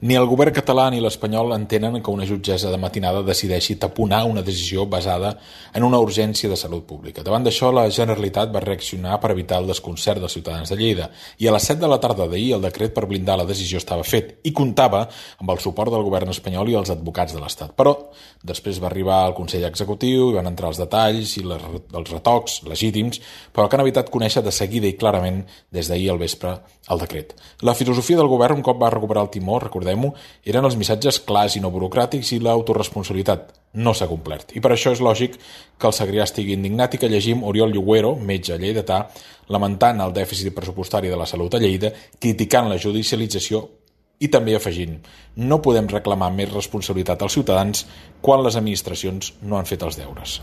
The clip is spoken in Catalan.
Ni el govern català ni l'espanyol entenen que una jutgessa de matinada decideixi taponar una decisió basada en una urgència de salut pública. Davant d'això, la Generalitat va reaccionar per evitar el desconcert dels ciutadans de Lleida i a les 7 de la tarda d'ahir el decret per blindar la decisió estava fet i comptava amb el suport del govern espanyol i els advocats de l'Estat. Però després va arribar el Consell Executiu i van entrar els detalls i els retocs legítims, però que han evitat conèixer de seguida i clarament des d'ahir al vespre el decret. La filosofia del govern, un cop va recuperar el timó, recordem-ho, eren els missatges clars i no burocràtics i l'autoresponsabilitat. No s'ha complert. I per això és lògic que el Segrià estigui indignat i que llegim Oriol Lluguero, metge lleidatà, lamentant el dèficit pressupostari de la salut a Lleida, criticant la judicialització i també afegint: no podem reclamar més responsabilitat als ciutadans quan les administracions no han fet els deures.